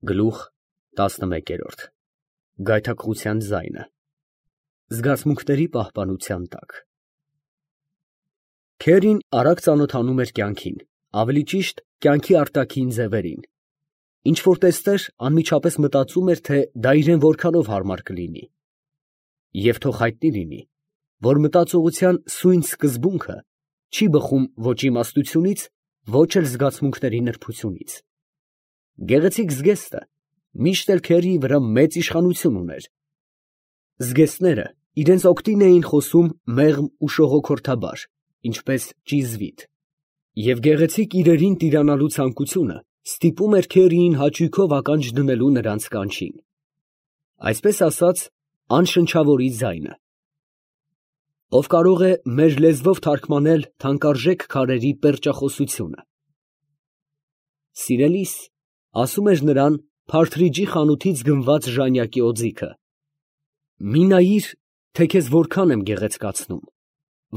Գլուխ 11 Գայթակղության ձայնը զգացմունքների պահպանության տակ Քերին արագ ծանոթանում էր կյանքին, ավելի ճիշտ կյանքի արտաքին ձևերին։ Ինչ որ տեսներ, անմիջապես մտածում էր, թե դա իրեն որքանով հարմար կլինի։ Եվ թող հայտնի լինի, որ մտածողության սույն սկզբունքը չի բխում ոչ իմաստությունից, ոչ էլ զգացմունքների նրբությունից։ Գեղեցիկ զգեստը միշտ էլ Քերիի վրա մեծ իշխանություն ուներ։ Զգեստները իրենց օգտին էին խոսում մեղմ ու շողոքորթաբար, ինչպես ճիզվիթ, և գեղեցիկ իրերին տիրանալու ցանկությունը ստիպում էր Քերիին հաճույքով ականջ դնելու նրանց կանչին։ Այսպես ասած, անշնչավորի ձայնը։ Ով կարող է մեր լեզվով թարգմանել թանկարժեք քարերի պերճախոսությունը։ Սիրելիս, ասում էր նրան Փարթրիջի խանութից գնված ժանյակի օձիքը, մի նայիր, թե քեզ որքան եմ գեղեցկացնում,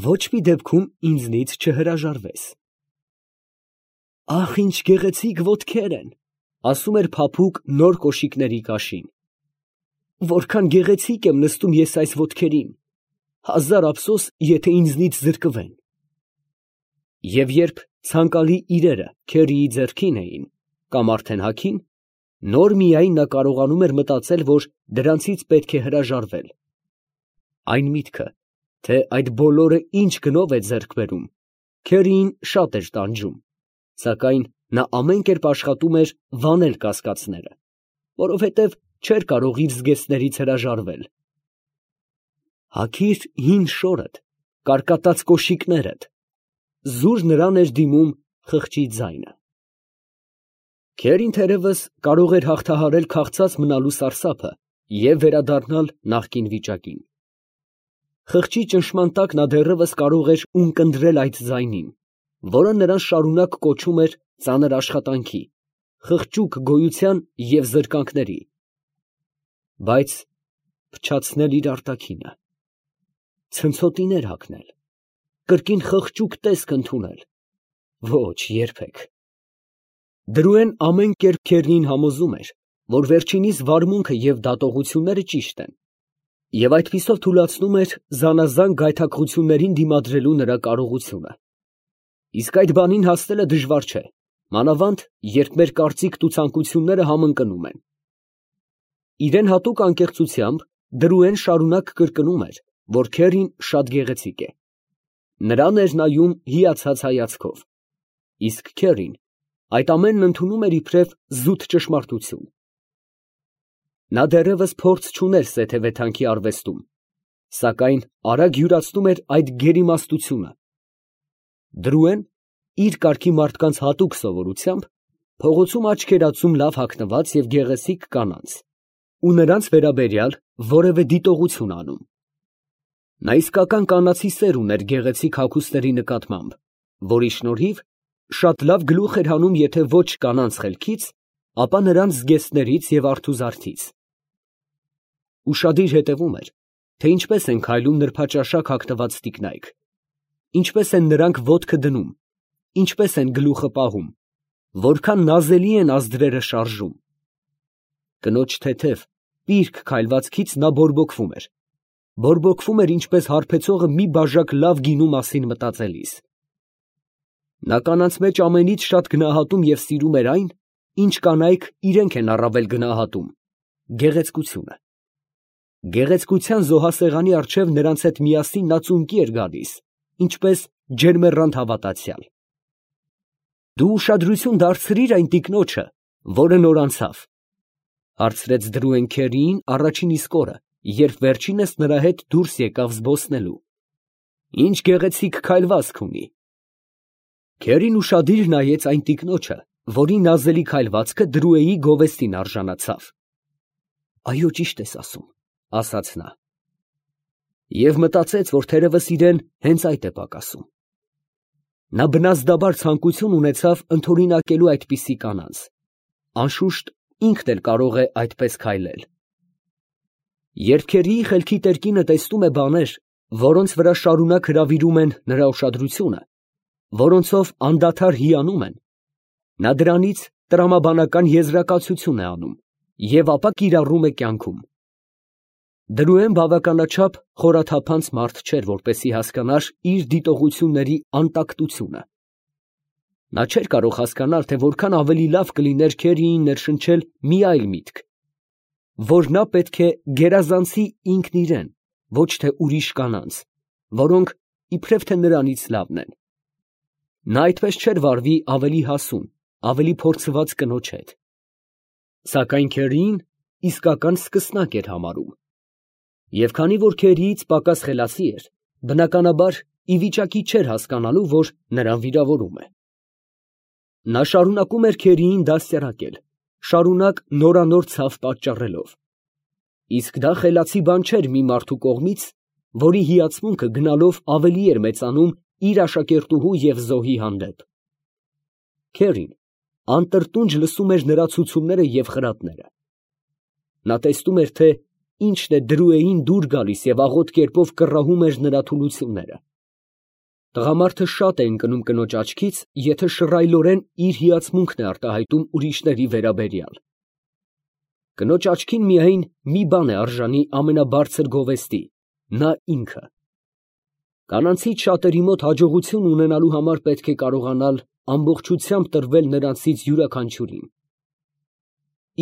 ոչ մի դեպքում ինձնից չհրաժարվես։ Ախ, ինչ գեղեցիկ ոտքեր են, ասում էր փափուկ նոր կոշիկների կաշին, որքան գեղեցիկ եմ նստում ես այս ոտքերին, հազար ափսոս, եթե ինձնից զրկվեն։ Եվ երբ ցանկալի իրերը Քերիի ձեռքին էին, կամ արդեն հագին, նոր միայն նա կարողանում էր մտածել, որ դրանցից պետք է հրաժարվել։ Այն միտքը, թե այդ բոլորը ինչ գնով է ձեռք բերում, Քերիին շատ էր տանջում, սակայն նա ամեն կերպ աշխատում էր վանել կասկածները, որովհետև չէր կարող իր զգեստներից հրաժարվել։ Հագիր հին շորդ, կարկատած կոշիկներդ, զուր նրան էր դիմում խղճի ձայնը։ Քերին թերևս կարող էր հաղթահարել քաղցած մնալու սարսափը և վերադառնալ նախկին վիճակին։ Խղճի ճնշման տակ նա դեռևս կարող էր ունկնդրել այդ ձայնին, որը նրան շարունակ կոչում էր ծանր աշխատանքի, խղճուկ գոյության և զրկանքների, բայց փչացնել իր արտաքինը, ցնցոտիներ հագնել, կրկին խղճուկ տեսք ընդունել, ոչ երբեք։ Դրուեն ամեն կերպ Քերիին համոզում էր, որ վերջինիս վարմունքը և դատողությունները ճիշտ են, և այդպիսով թուլացնում էր զանազան գայթակղություններին դիմադրելու նրա կարողությունը։ Իսկ այդ բանին հասնելը դժվար չէ, մանավանդ երբ մեր կարծիքն ու ցանկությունները համընկնում են։ Իրեն հատուկ անկեղծությամբ Դրուեն շարունակ կրկնում էր, որ Քերին շատ գեղեցիկ է։ Նրան էր նայում հիացած հայացքով, իսկ Քերին այդ ամենն ընդունում էր իբրև զուտ ճշմարտություն։ Նա դեռևս փորձ չուներ սեթևեթանքի արվեստում, սակայն արագ յուրացնում էր այդ գերիմաստությունը։ Դրուեն, իր կարգի մարդկանց հատուկ սովորությամբ, փողոցում աչք էր ածում լավ հագնված և գեղեցիկ կանանց ու նրանց վերաբերյալ որևէ դիտողություն անում։ Նա իսկական կանացի սեր ուներ գեղեցիկ հագուստների նկատմամբ, որի շնորհիվ շատ լավ գլուխ էր հանում եթե ոչ կանանց խելքից, ապա նրանց զգեստներից և արթուզարդից։ Ուշադիր հետևում էր, թե ինչպես են քայլում նրբաճաշակ հագնված տիկնայք, ինչպես են նրանք ոտքը դնում, ինչպես են գլուխը պահում, որքան նազելի են ազդրերը շարժում։ Կնոջ թեթև, պիրկ քայլվածքից նա բորբոքվում էր ինչպես հարբեցողը մի բաժակ լավ գինու մասին մտածելիս։ Նա կանանց մեջ ամենից շատ գնահատում և սիրում էր այն, ինչ կանայք իրենք են առավել գնահատում, գեղեցկությունը։ Գեղեցկության զոհասեղանի առջև նրանց հետ միասին նա ծունկի էր գալիս, ինչպես ջերմեռանդ հավատացյալ։ Դու ուշադրություն դարձրի՞ր այն տիկնոջը, որը նոր անցավ, ֊ հարցրեց Դրուեն Քերիին առաջին իսկ օրը, երբ վերջինս նրա հետ դուրս եկավ զբոսնելու։ Ինչ գեղեցիկ քայլվածք ունի։ Քերին ուշադիր նայեց այն տիկնոջը, որի նազելի քայլվածքը Դրուեի գովեստին արժանացավ։ Այո, ճիշտ ես ասում, ֊ ասաց նա։ Եվ մտածեց, որ թերևս իրեն հենց այդ է պակասում։ Նա բնազդաբար ցանկություն ունեցավ ընդօրինակելու այդպիսի կանանց, անշուշտ ինքն էլ կարող է այդպես քայլել։ Երբ Քերիի խելքի տերկինը տեսնում է բաներ, որոնց վրա շարունակ հրավիրում են նրա ուշադրությունը, որոնցով անդադար հիանում են, նա դրանից տրամաբանական եզրակացություն է անում և ապա կիրառում է կյանքում։ Դրուեն բավականաչափ խորաթափանց մարդ չէր, որպեսզի հասկանար իր դիտողությունների անտակտությունը։ Նա չէր կարող հասկանալ, թե որքան ավելի լավ կլիներ Քերիին ներշնչել մի այլ միտք, որ նա պետք է գերազանցի ինքն իրեն, ոչ թե ուրիշ կանանց, որոնք իբրև թե նրանից լավն են։ Նա այդպես չէր վարվի ավելի հասուն, ավելի փորձված կնոջ հետ։ Սակայն Քերիին իսկական սկսնակ էր համարում։ Եվ քանի որ Քերիից պակաս խելացի էր, բնականաբար ի վիճակի չէր հասկանալու, որ նրան վիրավորում է։ Նա շարունակում էր Քերիին դաստիարակել, շարունակ նորանոր ցավ պատճառելով։ Իսկ դա խելացի բան չէր մի մարդու կողմից, որի հիացմունքը գնալով ավելի էր մեծանում իր աշակերտուհու և զոհի հանդեպ։ Քերին անտրտունջ լսում էր նրա ցուցումները և խրատները։ Նա տեսնում էր, թե ինչն է Դրուեին դուր գալիս և աղոտ կերպով կռահում էր նրա թուլությունները։ Տղամարդը շատ է ընկնում կնոջ աչքից, եթե շռայլորեն իր հիացմունքն է արտահայտում ուրիշների վերաբերյալ։ Կնոջ աչքին միայն մի բան է արժանի ամենաբարձր գովեստի՝ նա ինքը։ Կանանցից շատերի մոտ հաջողություն ունենալու համար պետք է կարողանալ ամբողջությամբ տրվել նրանցից յուրաքանչյուրին։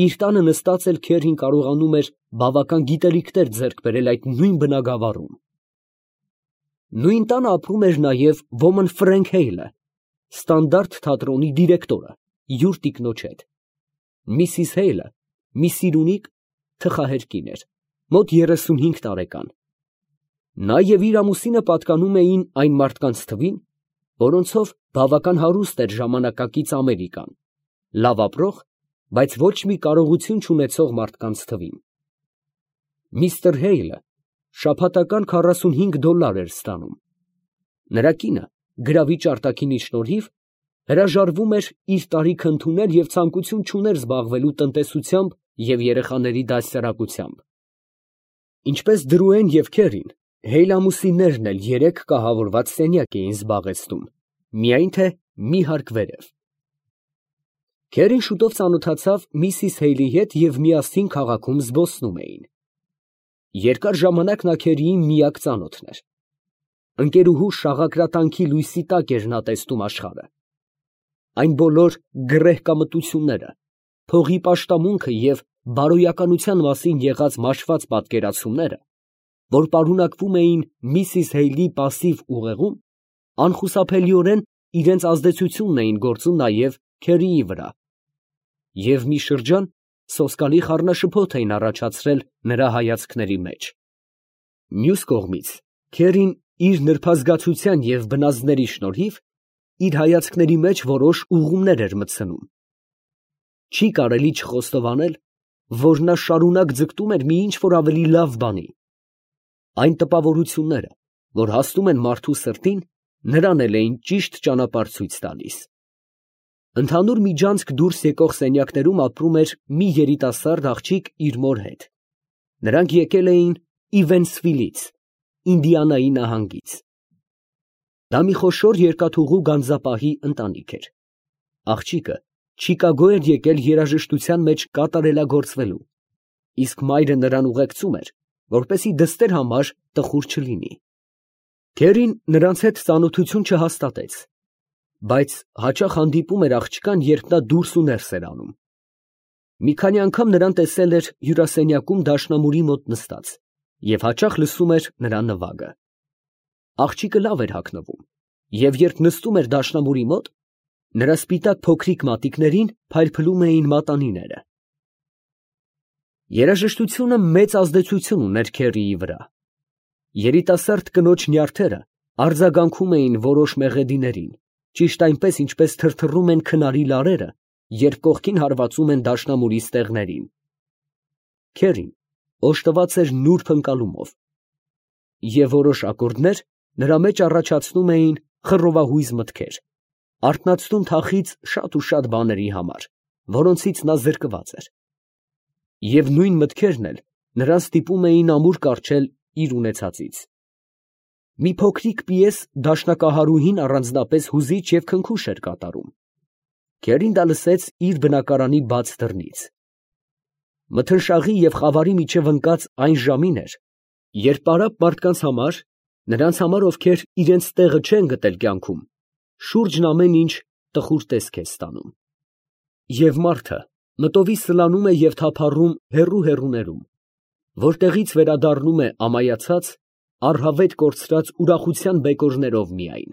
Իր տանը նստած էլ Քերին կարողանում էր բավական գիտելիքներ ձեռք բերել այդ նույն բնագավառում։ Նույն տանը ապրում էր նաև ոմն Ֆրենք Հեյլը, Ստանդարտ թատրոնի դիրեկտորը, յուր տիկնոջ հետ։ Միսիս Հեյլը մի սիրունիկ, թխահեր կին էր, մոտ 35 տարեկան։ Նա և իր ամուսինը պատկանում էին այն մարդկանց թվին, որոնցով բավական հարուստ էր ժամանակակից Ամերիկան, լավ ապրող, բայց ոչ մի կարողություն չունեցող մարդկանց թվին։ Միսթր Հեյլը շաբաթական $45 էր ստանում։ Նրա կինը գրավիչ արտաքինի շնորհիվ հրաժարվում էր իր տարիքը ընդունել և ցանկություն չուներ զբաղվելու տնտեսությամբ և երեխաների դաստիարակությամբ։ Ինչպես Դրուեն և Քերին, Հեյլ ամուսիններն էլ 3 կահավորված սենյակ էին զբաղեցնում, միայն թե մի հարկ վերև։ Քերին շուտով ծանոթացավ միսիս Հեյլի հետ և միասին քաղաքում զբոսնում էին։ Երկար ժամանակ նա Քերիի միակ ծանոթն էր։ Ընկերուհու շաղակրատանքի լույսի տակ էր նա տեսնում աշխարհը։ Այն բոլոր գռեհկամտությունները, փողի պաշտամունքը և բարոյականության մասին եղած մաշված պատկերացումները, որ պարունակվում էին միսիս Հեյլի պասիվ ուղեղում, անխուսափելիորեն իրենց ազդեցությունն էին գործում նաև Քերիի վրա, և մի շրջան սոսկալի խառնաշփոթ էին առաջացրել նրա հայացքների մեջ։ Մյուս կողմից, Քերին իր նրբազգացության և բնազդների շնորհիվ իր հայացքների մեջ որոշ ուղղումներ էր մտցնում։ Չի կարելի չխոստովանել, որ նա շարունակ ձգտում էր մի ինչ֊որ ավելի լավ բանի։ Այն տպավորությունները, որ հասնում են մարդու սրտին, նրան էլ էին ճիշտ ճանապարհ ցույց տալիս։ Ընդհանուր միջանցք դուրս եկող սենյակներում ապրում էր մի երիտասարդ աղջիկ իր մոր հետ։ Նրանք եկել էին Իվենսվիլից, Ինդիանայի նահանգից։ Դա մի խոշոր երկաթուղու գանձապահի ընտանիք էր։ Աղջիկը Չիկագո էր եկել երաժշտության մեջ կատարելագործվելու, իսկ մայրը նրան ուղեկցում էր, որպեսզի դստեր համար տխուր չլինի։ Քերին նրանց հետ ծանոթություն չհաստատեց, բայց հաճախ հանդիպում էր աղջկան, երբ նա դուրս ու ներս էր անում։ Մի քանի անգամ նրան տեսել էր հյուրասենյակում դաշնամուրի մոտ նստած և հաճախ լսում էր նրա նվագը։ Աղջիկը լավ էր հագնվում, և երբ նստում էր դաշնամուրի մոտ, նրա սպիտակ փոքրիկ մատիկներին փայլփլում էին մատանիները։ Երաժշտությունը մեծ ազդեցություն ուներ Քերիի վրա։ Երիտասարդ կնոջ նյարդերը արձագանքում էին որոշ մեղեդիներին, ճիշտ այնպես, ինչպես թրթռում են քնարի լարերը, երբ կողքին հարվածում են դաշնամուրի ստեղներին։ Քերին օժտված էր նուրբ ընկալումով, և որոշ ակորդներ նրա մեջ առաջացնում էին խռովահույզ մտքեր, արթնացնում թախից շատ ու շատ բաների համար, որոնցից նա զրկված էր։ Եվ նույն մտքերն էլ նրան ստիպում էին ամուր կառչել իր ունեցածից։ Մի փոքրիկ պիես դաշնակահարուհին առանձնապես հուզիչ և քնքուշ էր կատարում։ Քերին դա լսեց իր բնակարանի բաց դռնից։ Մթնշաղի և խավարի միջև ընկած այն ժամին էր, երբ արաբ մարդկանց համար, նրանց համար, ովքեր իրենց տեղը չեն գտել կյանքում, շուրջն ամեն ինչ տխուր տեսք է ստանում։ Եվ մարդը մտովի սլանում է և թափառում հեռու֊հեռուներում, որտեղից վերադառնում է ամայացած, առհավետ կորցրած ուրախության բեկորներով միայն։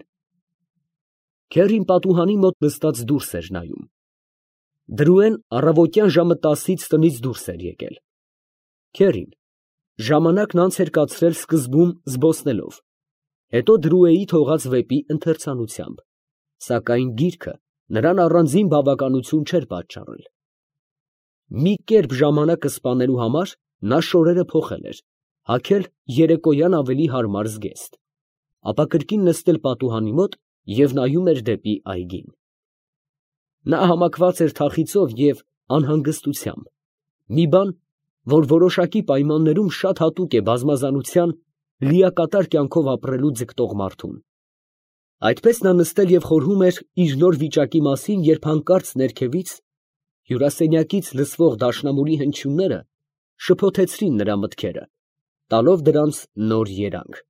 Քերին պատուհանի մոտ նստած դուրս էր նայում։ Դրուեն առավոտյան ժամը 10-ից տնից դուրս էր եկել։ Քերին ժամանակն անց էր կացրել սկզբում զբոսնելով, հետո Դրուեի թողած վեպի ընթերցանությամբ, սակայն գիրքը նրան առանձին բավականություն չէր պատճառել։ Մի կերպ ժամանակը սպանելու համար նա շորերը փոխել էր, հագել երեկոյան ավելի հարմար զգեստ, ապա կրկին նստել պատուհանի մոտ և նայում էր դեպի այգին։ Նա համակված էր թախիծով և անհանգստությամբ, մի բան, որ որոշակի պայմաններում շատ հատուկ է բազմազանության, լիակատար կյանքով ապրելու ձգտող մարդուն։ Այդպես նա նստել և խորհում էր իր նոր վիճակի մասին, երբ հանկարծ ներքևից, հյուրասենյակից լսվող դաշնամուրի հնչյունները շփոթեցրին նրա մտքերը, տալով դրանց նոր երանգ։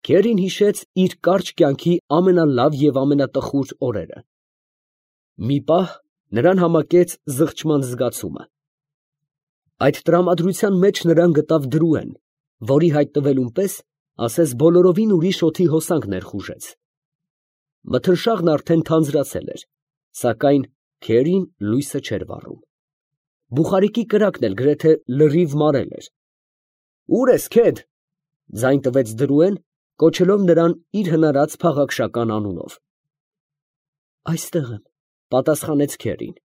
Քերին հիշեց իր կարճ կյանքի ամենալավ և ամենատխուր օրերը։ Մի պահ նրան համակեց զղջման զգացումը։ Այդ տրամադրության մեջ նրան գտավ Դրուեն, որի հայտնվելուն պես ասես բոլորովին ուրիշ օդի հոսանք ներխուժեց։ Մթնշաղն արդեն թանձրացել էր, սակայն Քերին լույսը չէր վառում։ Բուխարիկի կրակն էլ գրեթե լրիվ մարել էր։ «Ո՞ւր ես, Քեդ» ձայն տվեց Դրուեն, կոչելով նրան իր հնարած փաղաքշական անունով։ «Այստեղ եմ», պատասխանեց Քերին։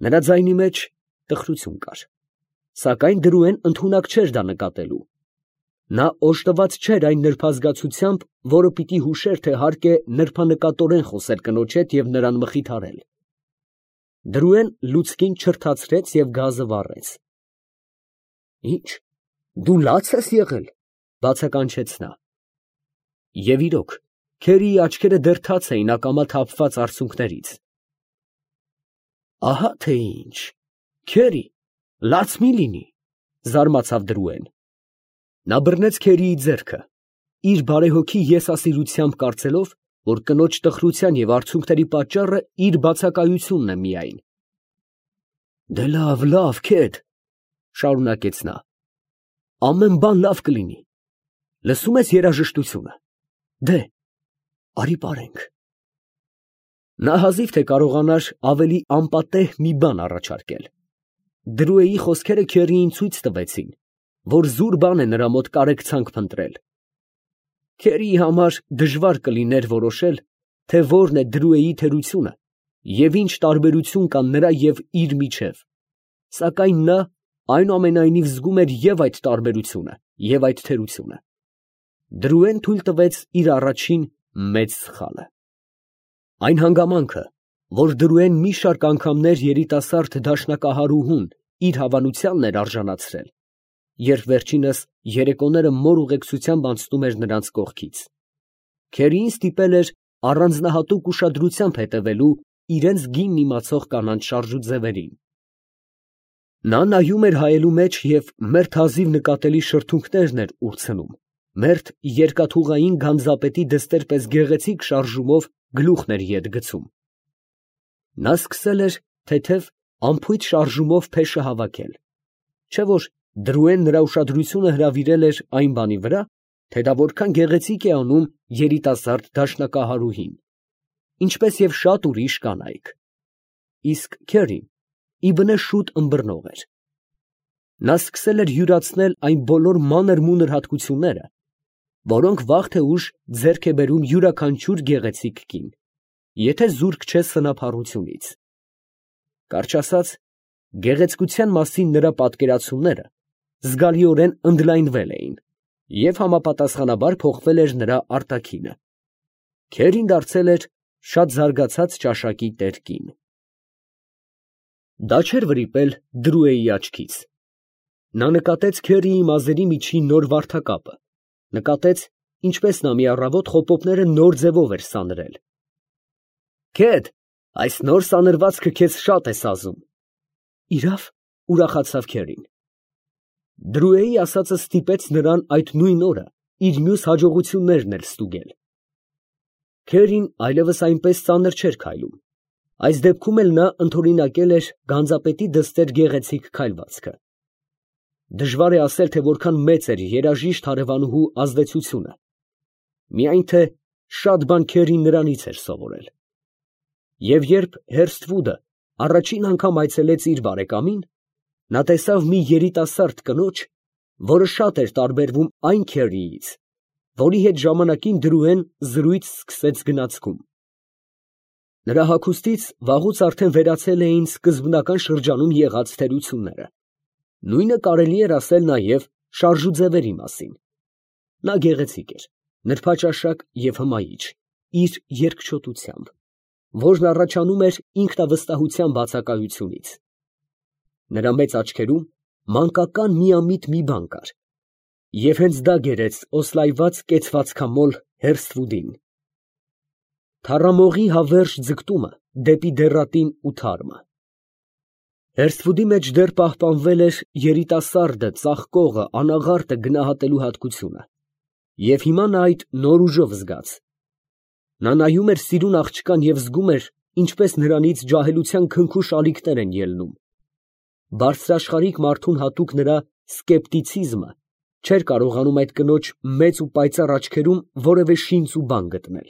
Նրա ձայնի մեջ տխրություն կար, սակայն Դրուեն ընդունակ չէր դա նկատելու։ Նա օժտված չէր այն նրբազգացությամբ, որը պիտի հուշեր, թե հարկ է նրբանկատորեն խոսել կնոջ հետ և նրան մխիթարել։ Դրուեն լուցկին չրթացրեց և գազը վառեց։ «Ի՞նչ, դու լաց ես եղել», բացականչեց նա։ Եվ իրոք, Քերիի աչքերը դեռ թաց էին ակամա թափված արցունքներից։ «Ահա թե ինչ, Քերի, լաց մի լինի», զարմացավ Դրուեն։ Նա բռնեց Քերիի ձեռքը, իր բարեհոգի եսասիրությամբ կարծելով, որ կնոջ տխրության և արցունքների պատճառը իր բացակայությունն է միայն։ «Դե լավ, լավ, Քեդ», շարունակեց նա, «ամեն բան լավ կլինի։ Լսում ես երաժշտությունը, դե, արի պարենք»։ Նա հազիվ թե կարողանար ավելի անպատեհ մի բան առաջարկել։ Դրուեի խոսքերը Քերիին ցույց տվեցին, որ զուր բան է նրա մոտ կարեկցանք փնտրել։ Քերիի համար դժվար կլիներ որոշել, թե որն է Դրուեի թերությունը և ինչ տարբերություն կա նրա և իր միջև, սակայն նա այնուամենայնիվ զգում էր և այդ տարբերությունը, և այդ թերությունը։ Դրուեն թույլ տվեց իր առաջին մեծ սխալը։ Այն հանգամանքը, որ Դրուեն մի շարք անգամներ երիտասարդ դաշնակահարուհուն իր հավանությանն էր արժանացրել, երբ վերջինս երեկոները մոր ուղեկցությամբ անցնում էր նրանց կողքից, Քերիին ստիպել էր առանձնահատուկ ուշադրությամբ հետևելու իրենց գինն իմացող կանանց շարժուձևերին։ Նա նայում էր հայելու մեջ և մերթ հազիվ նկատելի շրթունքներն էր ուրցնում, մերթ երկաթուղային գանձապետի դստեր պես գեղեցիկ շարժումով գլուխն էր ետ գցում։ Նա սկսել էր թեթև անփույթ շարժումով փեշը հավաքել, չէ՞ որ Դրուեն նրա ուշադրությունը հրավիրել էր այն բանի վրա, թե դա որքան գեղեցիկ է անում երիտասարդ դաշնակահարուհին, ինչպես և շատ ուրիշ կանայք։ Իսկ Քերին իբնե շուտ ըմբռնող էր։ Նա սկսել էր յուրացնել այն բոլոր մանր֊մունր հատկությունները, որոնք վաղ թե ուշ ձեռք է բերում յուրաքանչյուր գեղեցիկ կին, եթե զուրկ չէ սնափառությունից։ Կարճ ասած, գեղեցկության մասին նրա պատկերացումները զգալիորեն ընդլայնվել էին և համապատասխանաբար փոխվել էր նրա արտաքինը։ Քերին դարձել էր շատ զարգացած ճաշակի տեր կին։ Դա չէր վրիպել Դրուեի աչքից։ Նա նկատեց Քերիի մազերի միջի նոր վարդակապը, նկատեց, ինչպես նա մի առավոտ խոպոպները նոր ձևով էր սանրել։ «Քեդ, Այս նոր սանրվածքը քեզ շատ է սազում։ Իրավ, ուրախացավ Քերին։ Դրուեի ասածը ստիպեց նրան այդ նույն օրը իր մյուս հաջողություններն էլ ստուգել։ Քերին այլևս այնպես ծանր չէր քայլում։ Այս դեպքում էլ նա ընդօրինակել էր գանձապետի դստեր գեղեցիկ քայլվածքը։ Դժվար է ասել, թե որքան մեծ էր երաժիշտ հարևանուհու ազդեցությունը։ Միայն թե շատ բան Քերին նրանից էր սովորել։ Եվ երբ Հերսթվուդը առաջին անգամ այցելեց իր բարեկամին, նա տեսավ մի երիտասարդ կնոջ, որը շատ էր տարբերվում այն Քերիից, որի հետ ժամանակին Դրուեն զրույց սկսեց գնացքում։ Նրա հագուստից վաղուց արդեն վերացել էին սկզբնական շրջանում եղած թերությունները։ Նույնը կարելի էր ասել նաև շարժուձևերի մասին։ Նա գեղեցիկ էր, նրբաճաշակ և հմայիչ, իր երկչոտությամբ, որն առաջանում էր ինքնավստահության բացակայությունից։ Նրա մեծ աչքերում մանկական միամիտ մի բան կար, և հենց դա գերեց օսլայված կեցվածքամոլ Հերսթվուդին։ Թառամողի հավերժ ձգտումը դեպի դեռատին ու թարմը։ Հերսթվուդի մեջ դեռ պահպանվել էր երիտասարդը, ծաղկողը, անաղարտը գնահատելու հատկությունը, և հիմա նա այդ նոր ուժով զգաց։ Նա նայում էր սիրուն աղջկան և զգում էր, ինչպես նրանից ջահելության քնքուշ ալիքներ են ելնում։ Բարձրաշխարհիկ մարդուն հատուկ նրա սկեպտիցիզմը չէր կարողանում այդ կնոջ մեծ ու պայծառ աչքերում որևէ շինծ ու բան գտնել։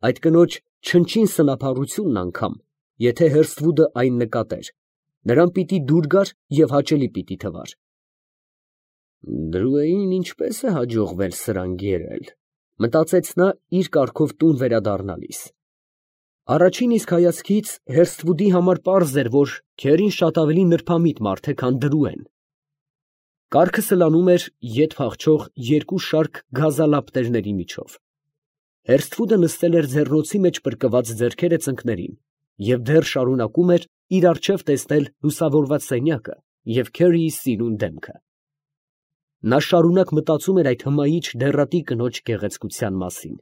Այդ կնոջ չնչին սնափառությունն անգամ, եթե Հերսթվուդը այն նկատեր, նրան պիտի դուր գար և հաճելի պիտի թվար։ Դրուեին ինչպես է հաջողվել սրան գերել, մտածեց նա իր կառքով տուն վերադառնալիս։ Առաջին իսկ հայացքից Հերսթվուդի համար պարզ էր, որ Քերին շատ ավելի նրբամիտ մարդ է, քան Դրուեն։ Կառքը սլանում էր ետ փախչող երկու շարք գազալապտերների միջով։ Հերսթվուդը նստել էր ձեռնոցի մեջ պրկված ձեռքերը ծնկներին և դեռ շարունակում էր իր առջև տեսնել լուսավորված սենյակը և Քերիի սիրուն դեմքը։ Նա շարունակ մտածում էր այդ հմայիչ դեռատի կնոջ գեղեցկության մասին։